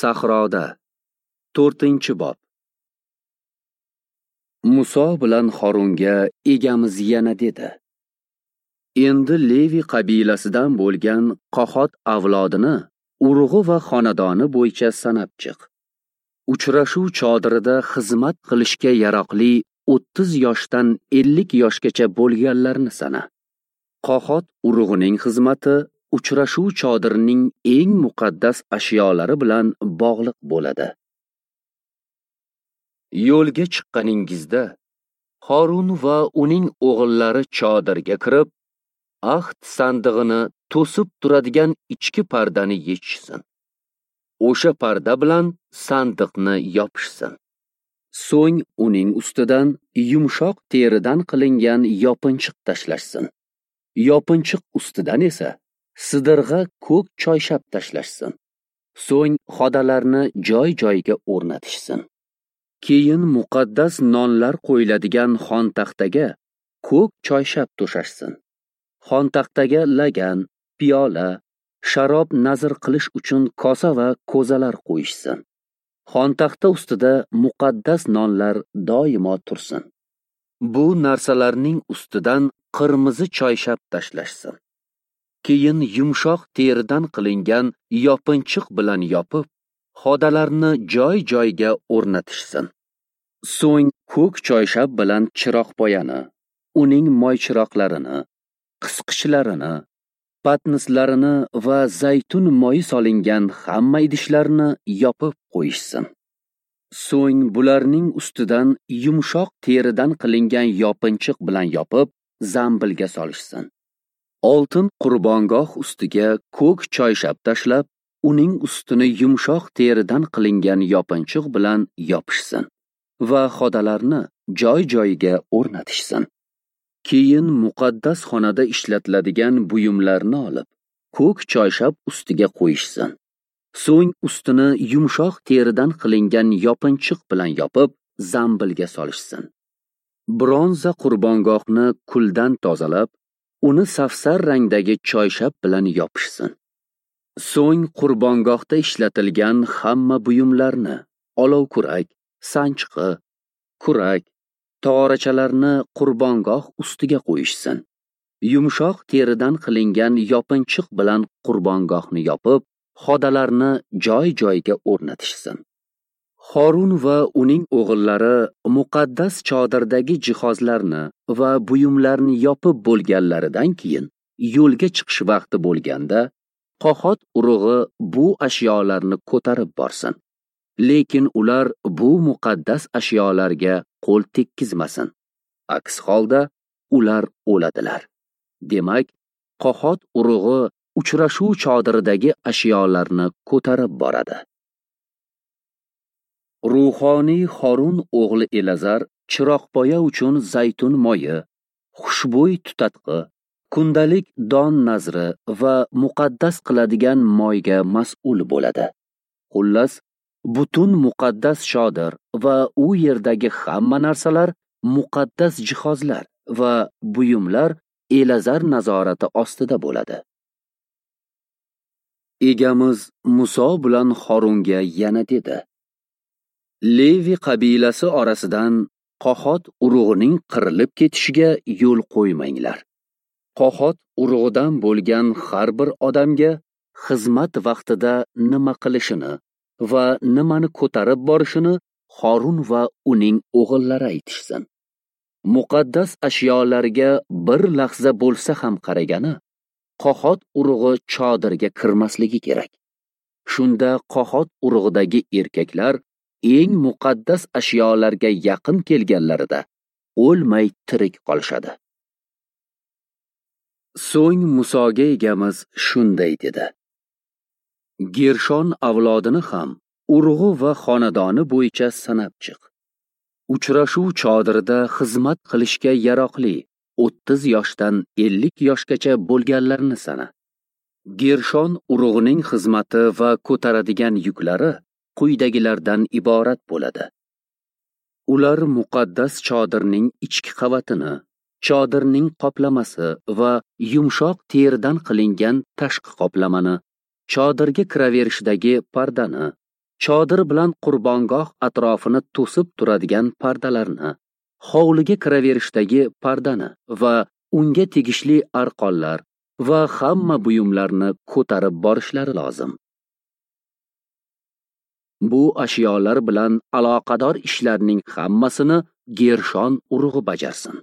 Sahroda. 4-bob. Muso bilan Horunga egamiz yana dedi: Endi Levi qabilasidan bo'lgan Qohot avlodini urug'i va xonadoni bo'yicha sanab chiq. Uchrashuv chodirida xizmat qilishga yaroqli 30 yoshdan 50 yoshgacha bo'lganlarni sana. Qohot urug'ining xizmati uchrashuv chodirining eng muqaddas ashyolari bilan bog'liq bo'ladi. Yo'lga chiqqaningizda Horun va uning o'g'illari chodirga kirib, ahd sandig'ini to'sib turadigan ichki pardani yechishsin. O'sha parda bilan sandiqni yopishsin. So'ng uning ustidan yumshoq teridan qilingan yopinchiq tashlashsin. Yopinchiq ustidan esa sidirg'a ko'k choyshab tashlashsin. So'ng xodalarni joy-joyiga o'rnatishsin. Keyin muqaddas nonlar qo'yiladigan xontaxtaga ko'k choyshab to'shashsin. Xontaxtaga lagan, piyola, sharob nazr qilish uchun kosa va ko'zalar qo'yishsin. Xontaxta ustida muqaddas nonlar doimo tursin. Bu narsalarning ustidan qirmizi choyshab tashlashsin. Keyin yumshoq teridan qilingan yopinchiq bilan yopib, xodalarni joy-joyiga o'rnatishsin. So'ng ko'k choyshab bilan chiroqpoyani, uning moychiroqlarini, qisqichlarini, patnislarini va zaytun moyi solingan hamma idishlarni yopib qo'yishsin. So'ng bularning ustidan yumshoq teridan qilingan yopinchiq bilan yopib, zambilga solishsin. Oltin qurbongoh ustiga ko'k choyshab tashlab, uning ustini yumshoq teridan qilingan yopinchiq bilan yopishsin va xodalarni joy-joyiga o'rnatishsin. Keyin muqaddas xonada ishlatiladigan buyumlarni olib, ko'k choyshab ustiga qo'yishsin. So'ng ustini yumshoq teridan qilingan yopinchiq bilan yopib, zambilga solishsin. Bronza qurbongohni kuldan tozalab, uni safsar rangdagi choyshab bilan yopishsin. So'ng qurbongohda ishlatilgan hamma buyumlarni, olovkurak, sanchqi, kurak, tog'orachalarni qurbongoh ustiga qo'yishsin. Yumshoq teridan qilingan yopinchiq bilan qurbongohni yopib, xodalarni joy-joyiga o'rnatishsin. Horun va uning o'g'illari muqaddas chodirdagi jihozlarni va buyumlarni yopib bo'lganlaridan keyin yo'lga chiqish vaqti bo'lganda Qohot urug'i bu ashyolarni ko'tarib borsin. Lekin ular bu muqaddas ashyolarga qo'l tekkizmasin. Aks holda ular o'ladilar. Demak, Qohot urug'i uchrashuv chodiridagi ashyolarni ko'tarib boradi. Ruhoniy Horun o'g'li Elazar chiroqpoya uchun zaytun moyi, xushbo'y tutatqi, kundalik don nazri va muqaddas qiladigan moyga mas'ul bo'ladi. Xullas, butun muqaddas chodir va u yerdagi hamma narsalar, muqaddas jihozlar va buyumlar Elazar nazorati ostida bo'ladi. Egamiz Muso bilan Horunga yana dedi: Levi qabilasi orasidan Qohot urug'ining qirilib ketishiga yo'l qo'ymanglar. Qohot urug'idan bo'lgan har bir odamga xizmat vaqtida nima qilishini va nimani ko'tarib borishini Horun va uning o'g'illari aytishsin. Muqaddas ashyolarga bir lahza bo'lsa ham qaragani, Qohot urug'i chodirga kirmasligi kerak. Shunda Qohot urug'idagi erkaklar eng muqaddas ashyolarga yaqin kelganlarida o'lmay tirik qolishadi. So'ng Musoga egamiz shunday dedi: Gershon avlodini ham urug'i va xonadoni bo'yicha sanab chiq. Uchrashuv chodirida xizmat qilishga yaroqli 30 yoshdan 50 yoshgacha bo'lganlarni sana. Gershon urug'ining xizmati va ko'taradigan yuklari quyidagilardan iborat bo'ladi. Ular muqaddas chodirning ichki qavatini, chodirning qoplamasi va yumshoq teridan qilingan tashqi qoplamani, chodirga kiraverishdagi pardani, chodir bilan qurbongoh atrofini to'sib turadigan pardalarni, hovliga kiraverishdagi pardani va unga tegishli arqonlar va hamma buyumlarni ko'tarib borishlari lozim. Bu ashyolar bilan aloqador ishlarning hammasini Gershon urug'i bajarsin.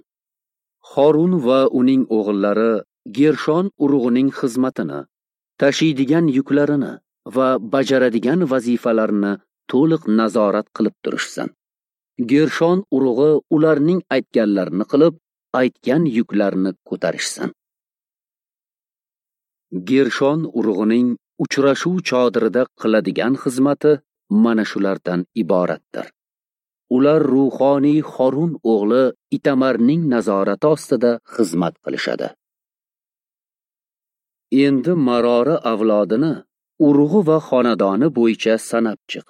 Horun va uning o'g'illari Gershon urug'ining xizmatini, tashiydigan yuklarini va bajaradigan vazifalarini to'liq nazorat qilib turishsin. Gershon urug'i ularning aytganlarini qilib, aytgan yuklarini ko'tarishsin. Gershon urug'ining uchrashuv chodirida qiladigan xizmati mana shulardan iboratdir. Ular ruhoniy Horun o'g'li Itamarning nazorati ostida xizmat qilishadi. Endi Marori avlodini urug'i va xonadoni bo'yicha sanab chiq.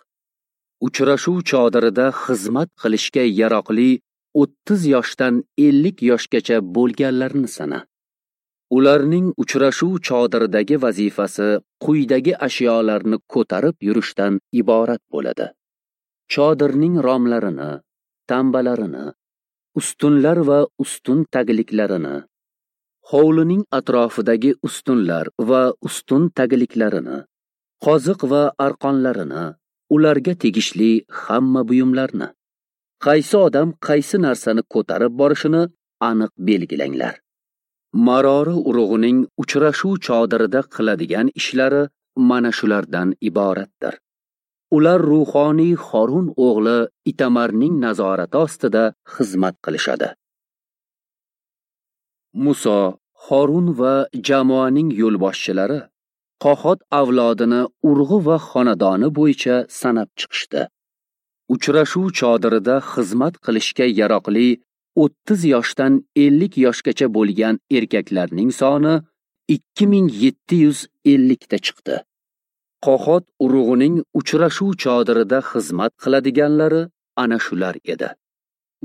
Uchrashuv chodirida xizmat qilishga yaroqli 30 yoshdan 50 yoshgacha bo'lganlarni sana. Ularning uchrashuv chodiridagi vazifasi quyidagi ashyolarni ko'tarib yurishdan iborat bo'ladi. Chodirning romlarini, tambalarini, ustunlar va ustun tagliklarini, hovlining atrofidagi ustunlar va ustun tagliklarini, qoziq va arqonlarini, ularga tegishli hamma buyumlarni. Qaysi odam qaysi narsani ko'tarib borishini aniq belgilanglar. Marori urug'ining uchrashuv chodirida qiladigan ishlari mana shulardan iboratdir. Ular ruhoniy Horun o'g'li Itamarning nazorati ostida xizmat qilishadi. Muso, Horun va jamoaning yo'lboshchilari Qohot avlodini urug'i va xonadoni bo'yicha sanab chiqishdi. Uchrashuv chodirida xizmat qilishga yaroqli 30 yoshdan 50 yoshgacha bo'lgan erkaklarning soni 2750 ta chiqdi. Qohot urug'ining uchrashuv chodirida xizmat qiladiganlari ana shular edi.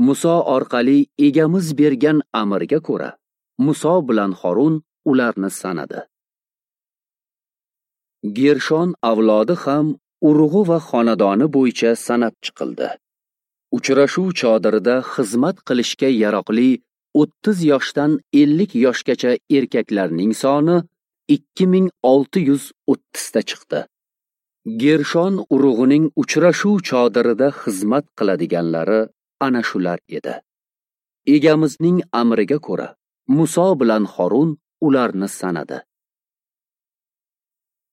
Muso orqali egamiz bergan amrga ko'ra, Muso bilan Horun ularni sanadi. Gershon avlodi ham urug'i va xonadoni bo'yicha sanab chiqildi. Uchrashuv chodirida xizmat qilishga yaroqli 30 yoshdan 50 yoshgacha erkaklarning soni 2630 ta chiqdi. Gershon urug'ining uchrashuv chodirida xizmat qiladiganlari ana shular edi. Egamizning amriga ko'ra, Muso bilan Horun ularni sanadi.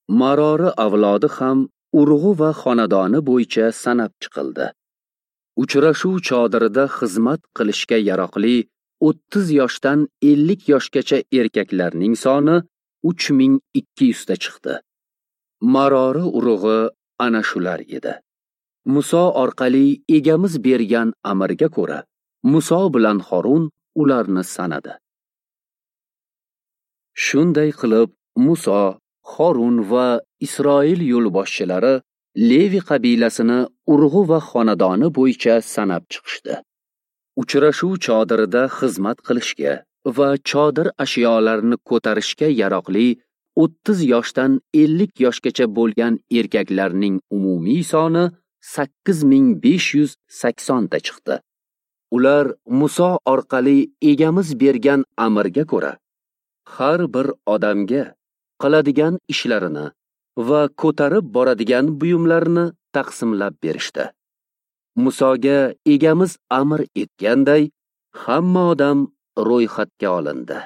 Marori avlodi ham urug'i va xonadoni bo'yicha sanab chiqildi. Uchrashuv chodirida xizmat qilishga yaroqli 30 yoshdan 50 yoshgacha erkaklarning soni 3200 ta chiqdi. Marori urug'i ana shular edi. Muso orqali egamiz bergan amrga ko'ra, Muso bilan Horun ularni sanadi. Shunday qilib, Muso, Horun va Isroil yo'lboshchilari Levi qabilasini urug'i va xonadoni bo'yicha sanab chiqishdi. Uchrashuv chodirida xizmat qilishga va chodir ashyolarini ko'tarishga yaroqli 30 yoshdan 50 yoshgacha bo'lgan erkaklarning umumiy soni 8580 ta chiqdi. Ular Muso orqali egamiz bergan amrga ko'ra, har bir odamga qiladigan ishlarini va ko'tarib boradigan buyumlarini taqsimlab berishdi. Musoga egamiz amr etganday, hamma odam ro'yxatga olindi.